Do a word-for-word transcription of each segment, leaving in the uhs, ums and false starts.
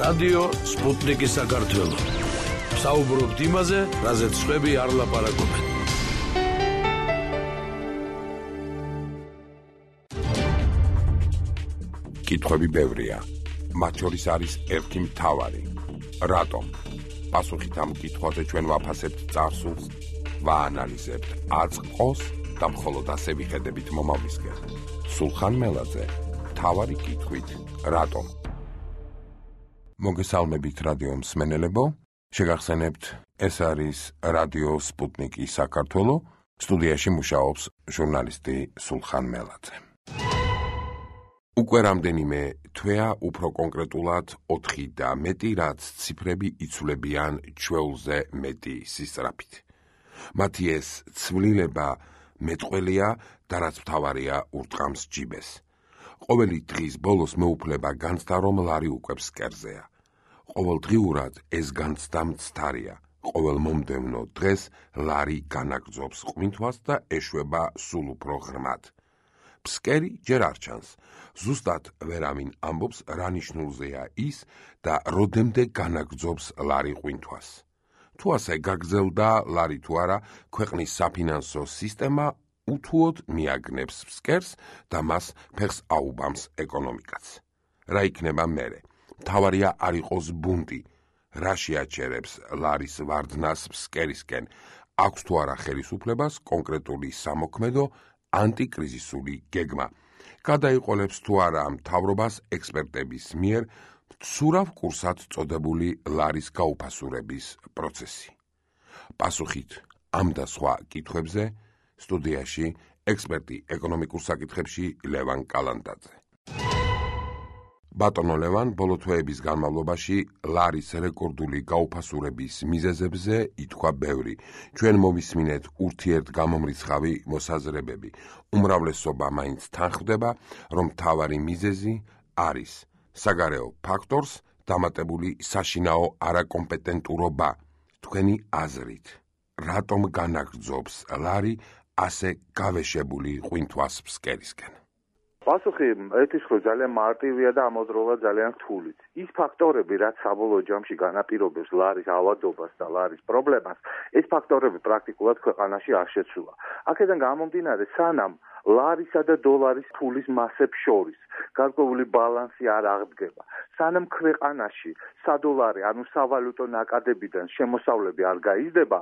რადიო სპუტნიკი საქართველო. საუბრობთ იმაზე, რაზეც სხვები არ ლაპარაკობენ. კითხვები ბევრია. მათ შორის არის ერთი მთავარი. რატომ? პასუხით ამ კითხვაზე ჩვენ ვაფასებთ წარსულს, ვაანალიზებთ აწყოს და მხოლოდ ასე ვიხედებით მომავლისკენ. სულხან მელაძე, მთავარი კითხვით, რატომ? მოგესალმებით რადიო მსმენელებო, შეგახსენებთ, ეს არის რადიო სპუტნიკი საქართველო, სტუდიაში მუშაობს ჟურნალისტი სულხან მელაძე. უკვე რამდენიმე თვეა უფრო კონკრეტულად ოთხი და მეტი, რაც ციფრები იცვლებიან ჩვეულზე მეტი სისწრაფით. მათი ეს ცვლილება მეტყველია და რაც მთავარია ურტყამს ჯიბეს. ყოველი დღის ბოლოს მეუფლება განცდა, რომ ლარი უკვე ფსკერზეა. ყოველდღიურად ეს განცდა მცდარია. ყოველ მომდევნო დღეს ლარი განაგრძობს ყვინთვას და ეშვება სულ უფრო ღრმად. ფსკერი ჯერ არ ჩანს. ზუსტად ვერავინ ამბობს, რა ნიშნულზეა ის და როდემდე განაგრძობს ლარი ყვინთვას. თუ ასე გაგრძელდა ლარი თუ არა, ქვეყნის საფინანსო სისტემა უთუოდ მიაგნებს ფსკერს და მას ფეხს აუბამს ეკონომიკაც. რა იქნება მერე? მთავარია არ იყოს ბუნტი. რა შეაჩერებს ლარის ვარდნას ფსკერისკენ? აქვს თუ არა ხელისუფლებას კონკრეტული სამოქმედო ანტიკრიზისული გეგმა? გადაიყოლებს თუ არა მთავრობას ექსპერტების მიერ მცურავ კურსად წოდებული ლარის გაუფასურების პროცესი? პასუხით ამ და სხვა კითხვებზე სტუდიაში ექსპერტი ეკონომიკურ საკითხებში ლევან კალანდაძე. ბატონო ლევან, ბოლო თვეების განმავლობაში ლარის რეკორდული გაუფასურების მიზეზებზე ითქვა ბევრი. ჩვენ მოვისმინეთ ურთიერთგამომრიცხავი მოსაზრებები. უმრავლესობა მაინც თანხმდება, რომ მთავარი მიზეზი არის საგარეო ფაქტორს დამატებული საშინაო არაკომპეტენტურობა. თქვენი აზრით, რატომ განაგრძობს ლარი ასე გავეშებული ყვინთვას ფსკერისკენ? პასუხი ეთის ხო ძალიან მარტივია და ამავდროულად ძალიან რთულიც. ის ფაქტორები, რაც საბოლოო ჯამში განაპირობებს ლარის ავადობას და ლარის პრობლემას, ეს ფაქტორები პრაქტიკულად ქვეყანაში არ შეცვლა. აქედან გამომდინარე, სანამ ლარისა და დოლარის ფულის მასებს შორის გარკვეული ბალანსი არ აღდგება, სანამ ქვეყანაში სადოლარი, ანუ სავალუტო ნაკადებიდან შემოსავლები არ გაიზრდება,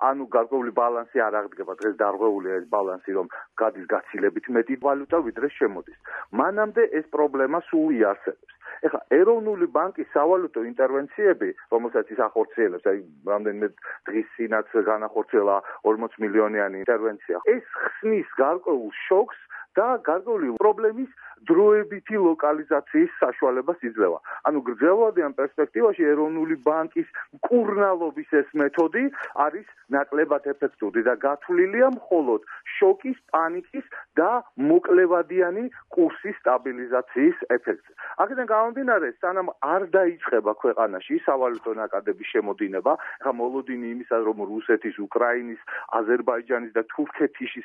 ანუ გარკვეული ბალანსი არ აღდგება, დღეს დარღვეულია ეს ბალანსი, რომ გადის გაცილებით მეტი ვალუტა, ვიდრე შემოდის. მანამდე ეს პრობლემა სულ იარსებებს. ეხლა ეროვნული ბანკის სავალუტო ინტერვენციები, რომელსაც ის ახორციელებს, აი რამდენიმე დღის წინაც განახორციელა ორმოც მილიონიანი ინტერვენცია, ეს ხსნის გარკვეულ შოკს და გარკვეული პრობლემის დროებითი ლოკალიზაციის საშუალებას იძლევა. ანუ გრძელვადიან პერსპექტივაში ეროვნული ბანკის მკურნალობის ეს მეთოდი არის ნაკლებად ეფექტური და გათვლილია მხოლოდ შოკის, პანიკის და მოკლევადიანი კურსის სტაბილიზაციის ეფექტზე. აქედან გამომდინარე, სანამ არ დაიწყება ქვეყანაში სავალუტო ნაკადების შემოდინება, ახლა მოლოდინი იმისა, რომ რუსეთის, უკრაინის, აზერბაიჯანის და თურქეთის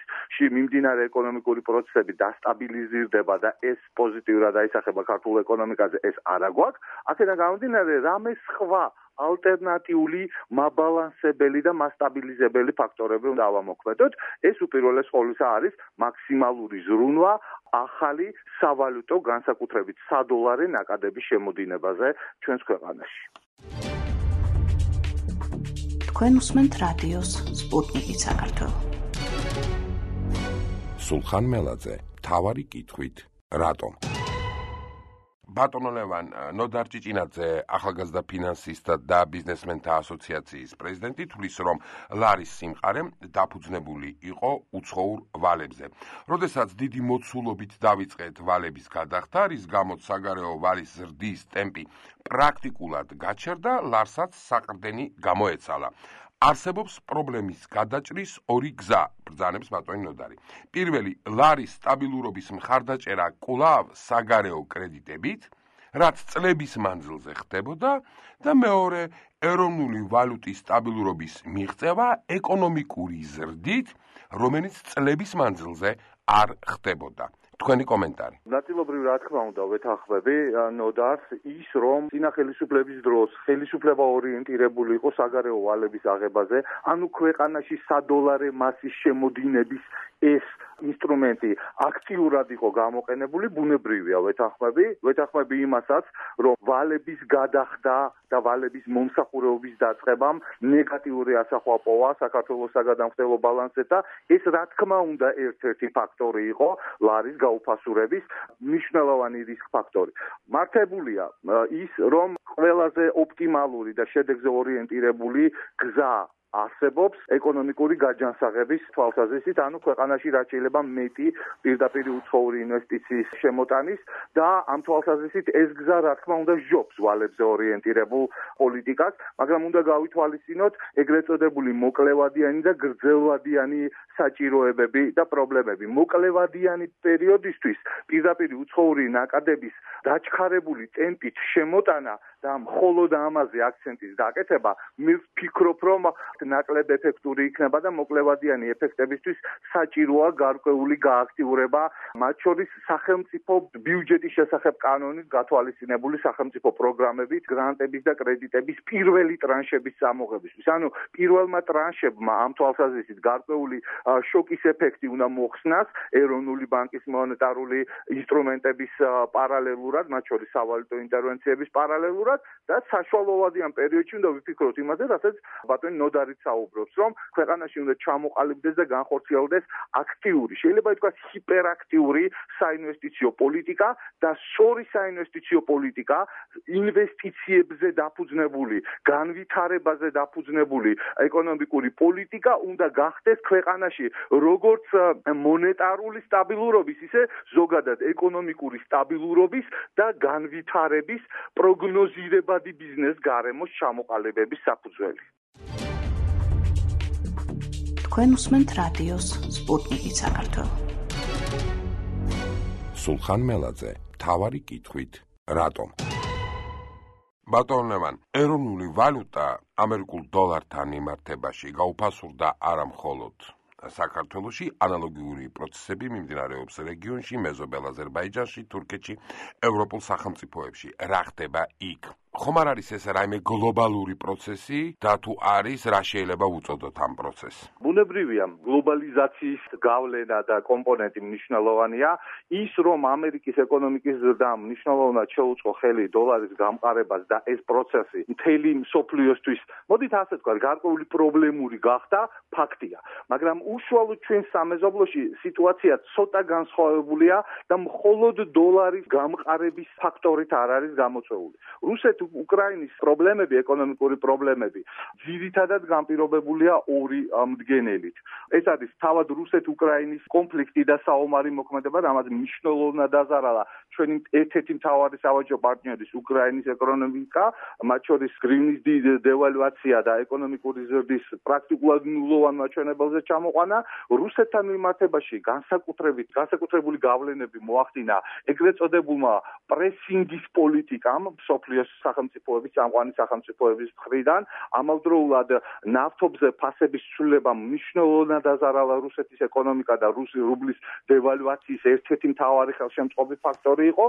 მიმდინარე ეკონომიკური პროცესები დასტაბილიზირდება და ეს პოზიტიურად აისახება ქართულ ეკონომიკაზე, ეს არა გვაქვს. აქედან გამომდინარე, რამე სხვა ალტერნატიული მაბალანსებელი და მასტაბილიზებელი ფაქტორები უნდა ავამოქმედოთ. ეს უპირველეს ყოვლისა არის მაქსიმალური ზრუნვა ახალი სავალუტო, განსაკუთრებით სადოლარი ნაკადების შემოდინებაზე ჩვენს ქვეყანაში. თქვენ უსმენთ რადიოს სპუტნიკი საქართველო. სულხან მელაძე, მთავარი კითხვით, რატომ? ბატონო ლევან, ნოდარ ჭიჭინაძე, ახალგაზრდა ფინანსისტთა და ბიზნესმენთა ასოციაციის პრეზიდენტი, თვლის, რომ ლარის სიმყარე დაფუძნებული იყო უცხოურ ვალებზე. როდესაც დიდი მოცულობით დავიწყეთ ვალების გადახდა, რის გამოც საგარეო ვალის ზრდის ტემპი პრაქტიკულად გაჩერდა, ლარსაც საყრდენი გამოეცალა. არსებობს პრობლემის გადაჭრის ორი გზა, ბრძანებს ბატონი ნოდარი. პირველი, ლარის სტაბილურობის მხარდაჭერა კვლავ საგარეო კრედიტებით, რაც წლების მანძილზე ხდებოდა, და მეორე, ეროვნული ვალუტის სტაბილურობის მიღწევა ეკონომიკური ზრდით, რომელიც წლების მანძილზე არ ხდებოდა. თქვენი კომენტარი. ნაწილობრივ რა თქმა უნდა ვეთანხმები ნოდარს ის რომ წინა ხელისუფლების დროს ხელისუფლება ორიენტირებული იყო საგარეო ვალების აღებაზე, ანუ ქვეყანაში სადოლარე მასის შემოდინების ეს ინსტრუმენტი აქტიურად იყო გამოყენებული, ბუნებრივია ვეთანხმები, ვეთანხმები იმასაც, რომ ვალების გადახდა და ვალების მომსახურების დაწყებამ ნეგატიური ასახვა პოვა საქართველოს საგადამხდელო ბალანსზე და ეს რა თქმა უნდა ერთ-ერთი ფაქტორი იყო ლარის გაუფასურების მნიშვნელოვანი რისკ ფაქტორი. მართებულია ის, რომ ყველაზე ოპტიმალური და შედეგზე ორიენტირებული გზა არსებობს ეკონომიკური გაჯანსაღების თვალსაზრისით, ანუ ქვეყანაში რაც შეიძლება მეტი პირდაპირ უცხოური ინვესტიციის შემოტანის და ამ თვალსაზრისით ეს გზა რა თქმა უნდა ჟობს ვალებზე ორიენტირებულ პოლიტიკას, მაგრამ უნდა გავითვალისწინოთ ეგრეთ წოდებული მოკლევადიანი და გრძელვადიანი საჭიროებები და პრობლემები. მოკლევადიანი პერიოდისთვის პირდაპირ უცხოური ნაკადების დაჩქარებული ტემპით შემოტანა და მხოლოდ ამაზე აქცენტის დაკეთება, მე ვფიქრობ, რომ ნაკლებ ეფექტური იქნება და მოკლევადიანი ეფექტებისთვის საჭიროა გარკვეული გააქტიურება, მათ შორის სახელმწიფო ბიუჯეტის შესახებ კანონით გათვალისწინებული სახელმწიფო პროგრამებით, გრანტების და კრედიტების პირველი ტრანშების წამოღებისთვის. ანუ პირველმა ტრანშებმა ამ თვალსაზრისით გარკვეული შოკის ეფექტი უნდა მოხსნას ეროვნული ბანკის მონეტარული ინსტრუმენტების პარალელურად, მათ შორის სავალუტო ინტერვენციების პარალელურად და საშუალოვადიან პერიოდში უნდა ვიფიქროთ იმაზე, რასაც ბატონი ნოდარი საუბრობს, რომ ქვეყანაში უნდა ჩამოყალიბდეს და განხორციელდეს აქტიური, შეიძლება ითქვას ჰიპერაქტიური საინვესტიციო პოლიტიკა და სწორი საინვესტიციო პოლიტიკა, ინვესტიციებზე დაფუძნებული, განვითარებაზე დაფუძნებული ეკონომიკური პოლიტიკა უნდა გახდეს ქვეყანაში როგორც მონეტარული სტაბილურობის, ისე ზოგადად ეკონომიკური სტაბილურობის და განვითარების პროგნოზირებადი ბიზნეს გარემოს ჩამოყალიბების საფუძველი. თქვენ უსმენთ რადიოს სპუტნიკი საქართველო. სულხან მელაძე, მთავარი კითხვით, რატომ? ბატონებან, ეროვნული ვალუტა ამერიკულ დოლართან მიმართებაში გაუფასურდა არა მხოლოდ საქართველოში, ანალოგიური პროცესები მიმდინარეობს რეგიონში, მეზობელ აზერბაიჯანში, თურქეთში, ევროპულ სახელმწიფოებში. რა ხდება იქ? ხომ არ არის ეს რაიმე გლობალური პროცესი და თუ არის, რა შეიძლება უწოდოთ ამ პროცესს? ბუნებრივია, გლობალიზაციის გავლენა და კომპონენტი მნიშვნელოვანია. ის, რომ ამერიკის ეკონომიკის ზრდამ მნიშვნელოვნად შეუწყო ხელი დოლარის გამყარებას და ეს პროცესი მთელი მსოფლიოსთვის, მოდით ასე ვთქვათ, გარკვეული პრობლემური გახდა, ფაქტია. მაგრამ უშუალოდ ჩვენ სამეზობლოში სიტუაცია ცოტა განსხვავებულია და მხოლოდ დოლარის გამყარების ფაქტორით არ არის გამოწვეული. რუსეთ უკრაინის პრობლემები, ეკონომიკური პრობლემები, ძირითადად განპირობებულია ორი მდგენელით. ეს არის თავად რუსეთ-უკრაინის კონფლიქტი და საომარი მოქმედება, რამაც მნიშვნელოვნად დაზარალა ჩვენი ერთ-ერთი მთავარი სავაჭრო პარტნიორის უკრაინის ეკონომიკა, მათ შორის გრივნის დევალვაცია და ეკონომიკური ზრდის პრაქტიკულად ნულოვან მაჩვენებელზე ჩამოყვანა. რუსეთთან მიმართებაში განსაკუთრებით განსაკუთრებული გავლენები მოახდინა ეგრეთ წოდებულმა პრესინგის პოლიტიკამ მსოფლიოს სახელმწიფოების, წამყვანი სახელმწიფოების მხრიდან. ამავდროულად ნავთობზე ფასების ცვლილებამ მნიშვნელოვნად დაზარალა რუსეთის ეკონომიკა და რუსი რუბლის დევალვაციის ერთ-ერთი მთავარი ხელშემწყობი ფაქტორი იყო.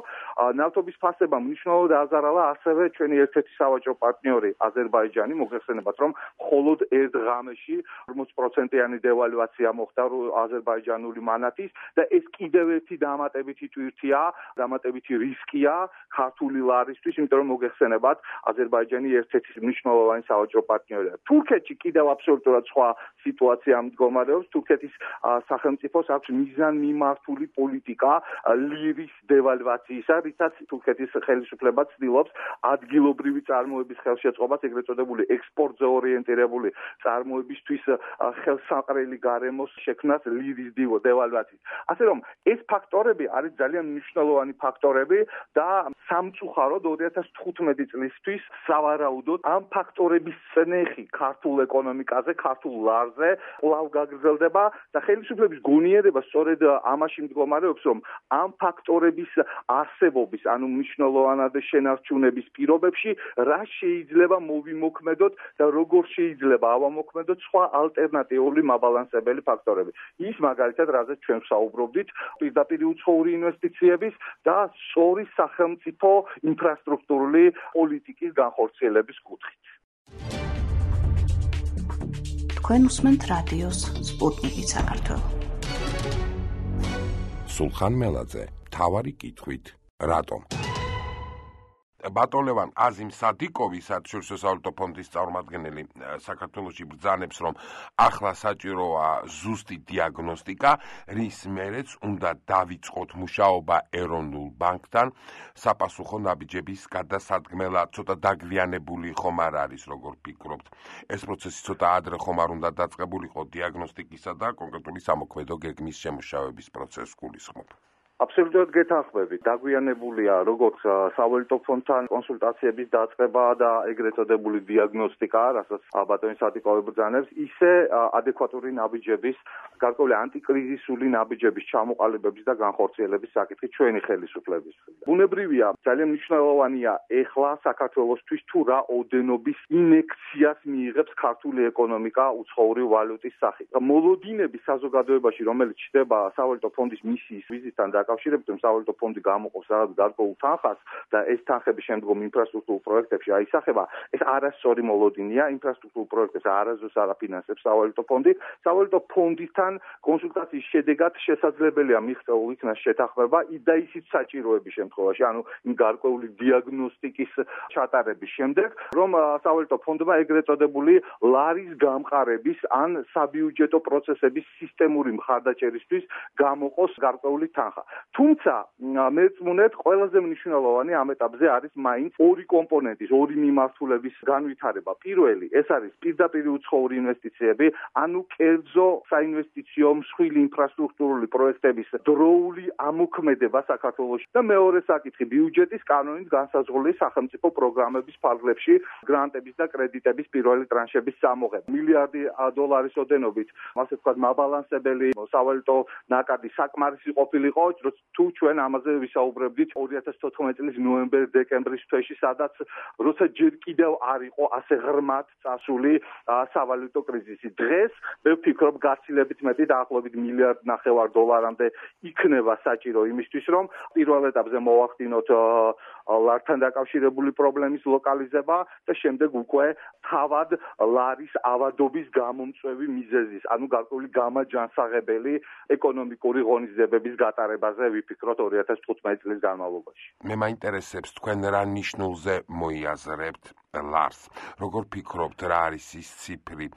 ნავთობის ფასებამ მნიშვნელოვნად დაზარალა ასევე ჩვენი ერთ-ერთი სავაჭრო პარტნიორი აზერბაიჯანი, მოგეხსენებათ, რომ მხოლოდ ერთ ღამეში ორმოც პროცენტიანი დევალვაცია მოხდა აზერბაიჯანული მანათის და ეს კიდევ ერთი დამატებითი ტვირთია, დამატებითი რისკია ქართული ლარისთვის, იმიტომ რომ მოგეხსენებათ, აზერბაიჯანი ერთ-ერთი მნიშვნელოვანი სავაჭრო პარტნიორია. თურქეთში კიდევ აბსოლუტურად სხვა სიტუაცია მდგომარეობს. თურქეთის სახელმწიფოს აქვს მიზანმიმართული პოლიტიკა ლირის დევალვაციისა, რითაც თურქეთის ხელისუფლება ცდილობს ადგილობრივი წარმოების ხელშეწყობას, ეგრეთ წოდებული ექსპორტზე ორიენტირებული წარმოებისთვის ხელსაყრელი გარემოს შექმნას ლირის დევალვაციით. ასე რომ ეს ფაქტორები არის ძალიან მნიშვნელოვანი ფაქტორები და სამწუხაროდ ორი ათას თხუთმეტი თხუთმეტი წლისთვის სავარაუდოდ ამ ფაქტორების წნეხი ქართულ ეკონომიკაზე, ქართულ ლარზე კვლავ გაგრძელდება და ხელისუფლების გონიერება სწორედ ამაში მდგომარეობს, რომ ამ ფაქტორების არსებობის, ანუ მნიშვნელოვანად შენარჩუნების პირობებში რა შეიძლება მოვიმოქმედოთ და როგორ შეიძლება ავამოქმედოთ სხვა ალტერნატიული მაბალანსებელი ფაქტორები. ის მაგალითად, რაზეც ჩვენ ვსაუბრობდით, პირდაპირ უცხოური ინვესტიციების და სწორი სახელმწიფო ინფრასტრუქტურული პოლიტიკის განხორციელების კუთხით. თქვენ უსმენთ რადიოს სპუტნიკი საქართველო. სულხან მელაძე, მთავარი კითხვით, რატომ? ბატონლევან აზიმ სადიკოვი საერთაშორისო სავალუტო ფონდის წარმომადგენელი საქართველოში ბრძანებს, რომ ახლა საჭიროა ზუსტი დიაგნოსტიკა, რის მერეც უნდა დავიწყოთ მუშაობა ეროვნულ ბანკთან, საპასუხო ნაბიჯების გადასადგმელად. ცოტა დაგვიანებული ხომ არ არის, როგორ ფიქრობთ? ეს პროცესი ცოტა ადრე ხომ არ უნდა დაწყებულიყო დიაგნოსტიკისა და კონკრეტული სამოქმედო გეგმის შემუშავების პროცესს გულისხმობ? აბსოლუტურად გეთანხმებით. დაგვიანებულია როგორც სავალუტო ფონდთან კონსულტაციების დაწყება და ეგრეთ წოდებული დიაგნოსტიკა, რასაც ბატონი სადიკოვი ბრძანებს, ისე ადეკვატური ნაბიჯების, გარკვეული ანტიკრიზისული ნაბიჯების ჩამოყალიბების და განხორციელების საკითხი ჩვენი ხელისუფლების. ბუნებრივია, ძალიან მნიშვნელოვანია ეხლა საქართველოსთვის თუ რა ოდენობის ინექციას მიიღებს ქართული ეკონომიკა უცხოური ვალუტის სახით. მოლოდინები საზოგადოებაში, რომელიც ჩდება სავალუტო ფონდის მისიის ვიზიტთან დაკავშირებით, რომ სავალუტო ფონდი გამოყობს რაღაც გარკვეულ თანხას და ეს თანხები შემდგომ ინფრასტრუქტურულ პროექტებში აისახება, ეს არასწორი მოლოდინია. ინფრასტრუქტურულ პროექტებს არასდროს არ აფინანსებს სავალუტო ფონდი. სავალუტო ფონდთან კონსულტაციის შედეგად შესაძლებელია მიღწეულ იქნას შეთანხმება და ისიც საჭიროების შემთხვევაში, ანუ იმ გარკვეული დიაგნოსტიკის ჩატარების შემდეგ, რომ სავალუტო ფონდმა ეგრეთ წოდებული ლარის გამყარების ან საბიუჯეტო პროცესების სისტემური მხარდაჭერისთვის გამოყოს გარკვეული თანხა. თუმცა მეწმუნეთ, ყველაზე მნიშვნელოვანი ამ ეტაპზე არის მაინც ორი კომპონენტის, ორი მიმართულების განვითარება. პირველი, ეს არის პირდაპირ უცხოური ინვესტიციები, ანუ კერძო საინვესტიციო მსხვილი ინფრასტრუქტურული პროექტების დროული ამოქმედება საქართველოში და მეორე საკითხი, ბიუჯეტის კანონით განსაზღვრული სახელმწიფო პროგრამების ფარგლებში გრანტების და კრედიტების პირველი ტრანშების წამოღება. მილიარდი დოლარის ოდენობით, ასე ვთქვათ, მაბალანსებელი სავალუტო ნაკადი საკმარისი ყოფილიყო, თუ ჩვენ ამაზე ვისაუბრებდით ორი ათას თოთხმეტი წლის ნოემბერ-დეკემბრის თვეში, სადაც როცა ჯერ კიდევ არ იყო ასე ღრმად წასული სავალუტო კრიზისი. დღეს მე ვფიქრობ, გაცილებით მეტი დაახლოებით მილიარდ ნახევარ დოლარამდე იქნება საჭირო იმისთვის, რომ პირველ ეტაპზე მოვახდინოთ ლართან დაკავშირებული პრობლემის ლოკალიზება და შემდეგ უკვე თავად ლარის ავადობის გამომწვევი მიზეზის, ანუ გარკვეული გამაჯანსაღებელი ეკონომიკური ღონისძიებების გატარებაზე ვიფიქროთ ორი ათას თხუთმეტი წლის განმავლობაში. მე მაინტერესებს თქვენ რა ნიშნულზე მოიაზრებთ ლარს. როგორ ფიქრობთ, რა არის ის ციფრი,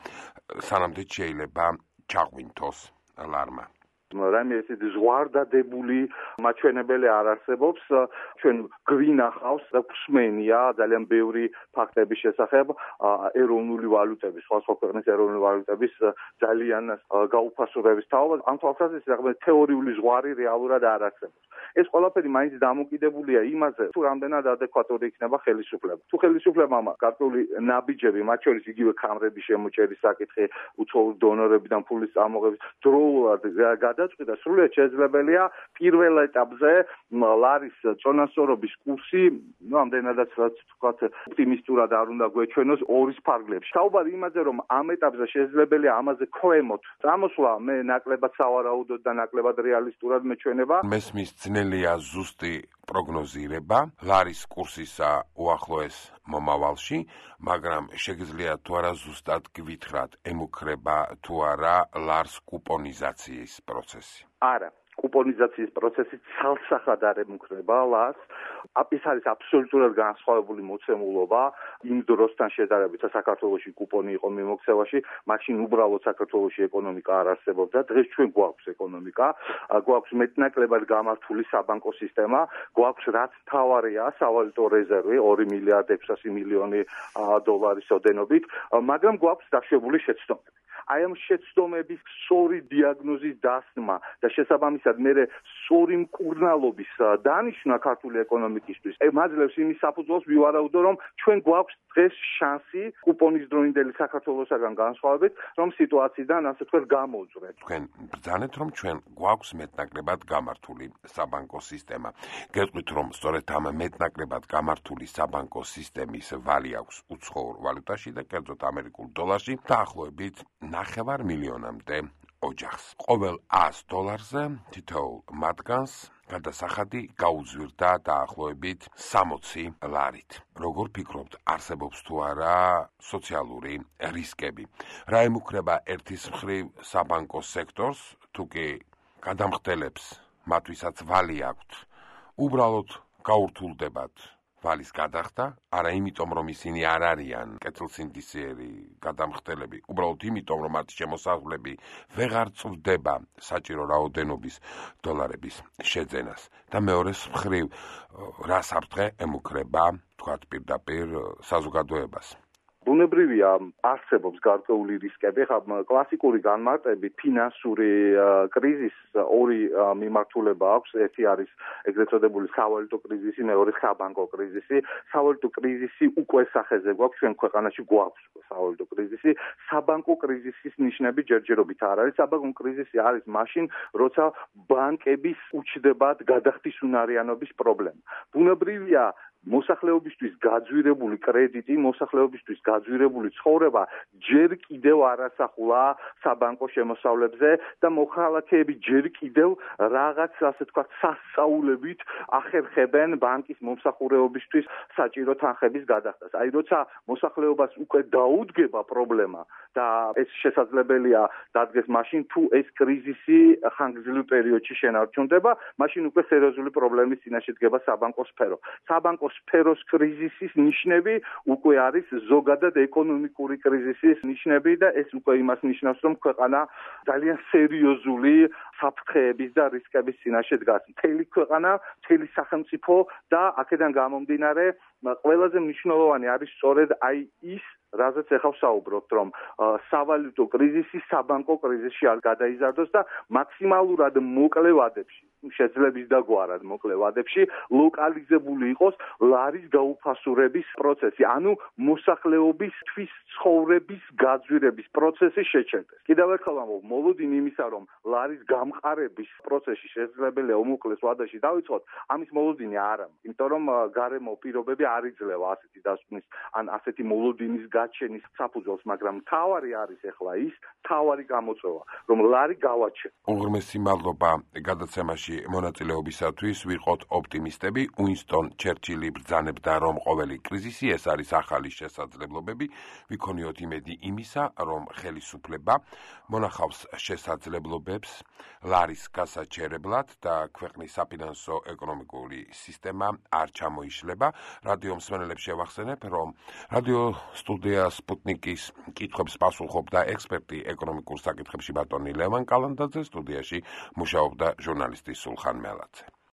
სანამდე შეიძლება ჩაღვინთოს ლარმა? რაიმე ესეთი ზღვარდადებული მაჩვენებელი არ არსებობს. ჩვენ გვინახავს და გვსმენია ძალიან ბევრი ფაქტების შესახებ ეროვნული ვალუტების, სხვა ქვეყნის ეროვნული ვალუტების ძალიან გაუფასურების თაობას. ამ თვალსაზრისით რაღაცა თეორიული ზღვარი რეალურად არ არსებობს. ეს ყველაფერი მაინც დამოკიდებულია იმაზე, თუ რამდენად ადეკვატური იქნება ხელისუფლება. თუ ხელისუფლებამ გარკვეული ნაბიჯები, მათ შორის იგივე ქამრების შემოჭერის საკითხი, უცხოური დონორებიდან ფულის წამოღების დროულად გადაწყვიტა, სრულიად შესაძლებელია პირველ ეტაპზე ლარის წონასწორობის კურსი, ну, ამდენადაც რაც ვთქვათ, ოპტიმისტურად არ უნდა გვეჩვენოს ორის ფარგლებში. საუბარი იმაზე, რომ ამ ეტაპზე შესაძლებელია ამაზე ქვემოთ წამოსვლა, მე ნაკლებად სავარაუდოდ და ნაკლებად რეალისტურად მეჩვენება. მესმის ძნელია ზუსტი პროგნოზირება ლარის კურსისა უახლოეს მომავალში, მაგრამ შეგიძლია თუ არა ზუსტად გვითხრათ, ემუქრება თუ არა ლარს კუპონიზაციის პროცესი? არა. კუპონიზაციის პროცესი ცალსახად არ ემუქრება ლარს. ეს არის აბსოლუტურად განსხვავებული მოცემულობა იმ დროსთან შედარებით, საქართველოში კუპონი იყო მიმოქცევაში, მაშინ უბრალოდ საქართველოში ეკონომიკა არ არსებობდა. დღეს ჩვენ გვაქვს ეკონომიკა, გვაქვს მეტნაკლებად გამართული საბანკო სისტემა, გვაქვს რაც მთავარია სავალუტო რეზერვი ორი მილიარდი ექვსასი მილიონი დოლარის ოდენობით, მაგრამ გვაქვს დაშვებული შეცდომები. აი ამ შეცდომების სწორი დიაგნოზის დასმა და შესაბამისად მე სწორი მკურნალობის დანიშვნა ქართული ეკონომიკისთვის მაძლევს იმის საფუძველს ვივარაუდო, რომ ჩვენ გვაქვს დღეს შანსი კუპონის დროინდელი საქართველოსაგან განსხვავებით, რომ სიტუაციიდან ასე თქვენ გამოვძვრეთ. თქვენ ბრძანეთ, რომ ჩვენ გვაქვს მეტნაკლებად გამართული საბანკო სისტემა. გეტყვით, რომ სწორედ ამ მეტნაკლებად გამართული საბანკო სისტემის ვალი აქვს უცხოურ ვალუტაში და კერძოდ ამერიკულ დოლარში დაახლოებით ნახევარ მილიონამდე ოჯახს. ყოველ ას დოლარზე თითოეულ მათგანს გადასახადი გაუძვირდა დაახლოებით სამოცი ლარით. როგორ ფიქრობთ, არსებობს თუ არა სოციალური რისკები? რა ემუქრება ერთის მხრივ საბანკო სექტორს, თუ კი გადამხდელებს მათვისაც ვალი აქვთ, უბრალოდ გაურთულდებათ ვალის გადახდა, არა იმიტომ, რომ ისინი არ არიან კეთილსინდისიერი გადამხდელები, უბრალოდ იმიტომ, რომ მათი შემოსავლები ვეღარ წვდება საჭირო რაოდენობის დოლარების შეძენას. და მეორეს მხრივ, რა საფრთხე ემუქრება, თქვათ პირდაპირ საზოგადოებას? ბუნებრივია, არსებობს გარკვეული რისკები. ხა კლასიკური განმარტებით ფინანსური კრიზისს ორი მიმართულება აქვს. ერთი არის ეგრეთ წოდებული სავალუტო კრიზისი, მეორე საბანკო კრიზისი. სავალუტო კრიზისი უკვე სახეზე გვაქვს, ჩვენ ქვეყანაში გვაქვს სავალუტო კრიზისი. საბანკო კრიზისის ნიშნები ჯერჯერობით არ არის. საბანკო კრიზისი არის მაშინ, როცა ბანკების უჩნდებათ გადახდისუნარიანობის პრობლემა. ბუნებრივია, მოსახლეობისთვის გაძვირებული კრედიტი, მოსახლეობისთვის გაძვირებული ცხოვრება ჯერ კიდევ არასახულა საბანკო შემოსავლებზე და მოქალაქეები ჯერ კიდევ რაღაც, ასე თქვათ, სასწაულებით ახერხებენ ბანკის მომსახურეობისთვის საჭირო თანხების გადახდას. აი, როცა მოსახლეობას უკვე დაუდგება პრობლემა და ეს შესაძლებელია დადგეს მაშინ, თუ ეს კრიზისი ხანგრძლივ პერიოდში შენარჩუნდება, მაშინ უკვე სერიოზული პრობლემის წინაშე დგება საბანკო სფერო. საბანკო სფეროს კრიზისის ნიშნები უკვე არის ზოგადად ეკონომიკური კრიზისის ნიშნები და ეს უკვე იმას ნიშნავს, რომ ქვეყანა ძალიან სერიოზული საფრთხეების და რისკების წინაშე დგას. მთელი ქვეყანა, მთელი სახელმწიფო და აქედან გამომდინარე ყველაზე მნიშვნელოვანი არის სწორედ აი ის, რაზეც ახლა ვსაუბრობთ, რომ სავალუტო კრიზისი საბანკო კრიზისში არ გადაიზარდოს და მაქსიმალურად მოკლე ვადებში, შეძლების დაგვარად მოკლე ვადებში ლოკალიზებული იყოს ლარის გაუფასურების პროცესი, ანუ მოსახლეობისთვის ცხოვრების გაძვირების პროცესი შეჩერდეს. კიდევ ერთხელ ვამბობ, მოლოდინი იმისა, რომ ლარის გამყარების პროცესი შესაძლებელია უმოკლეს ვადაში დავიწყოთ, ამის მოლოდინი არ არის, იმიტომ რომ გარემო პირობები არ იძლევა ასეთი დასკვნის ან ასეთი მოლოდინის გაჩენის საფუძველს, მაგრამ მთავარი არის ახლა ის, მთავარი გამოწვევა, რომ ლარი გავაჩენო. უღრმესი მადლობა გადაცემაში მონაწილეობისათვის. ვიყოთ ოპტიმისტები. უინსტონ ჩერჩილი ბრძანებდა, რომ ყოველი კრიზისი ეს არის ახალი შესაძლებლობები. ვიქონიოთ იმედი იმისა, რომ ხელისუფლება მონახავს შესაძლებლობებს ლარის გასაჩერებლად და ქვეყნის საფინანსო ეკონომიკური სისტემა არ ჩამოიშლება. რადიო მსმენელებს შევახსენებ, რომ რადიო სტუდია სპუტნიკის კითხვებს პასუხობდა ექსპერტი ეკონომიკურ საკითხებში ბატონი ლევან კალანდაძე, სტუდიაში მუშაობდა ჟურნალისტი სულხან მელაძე.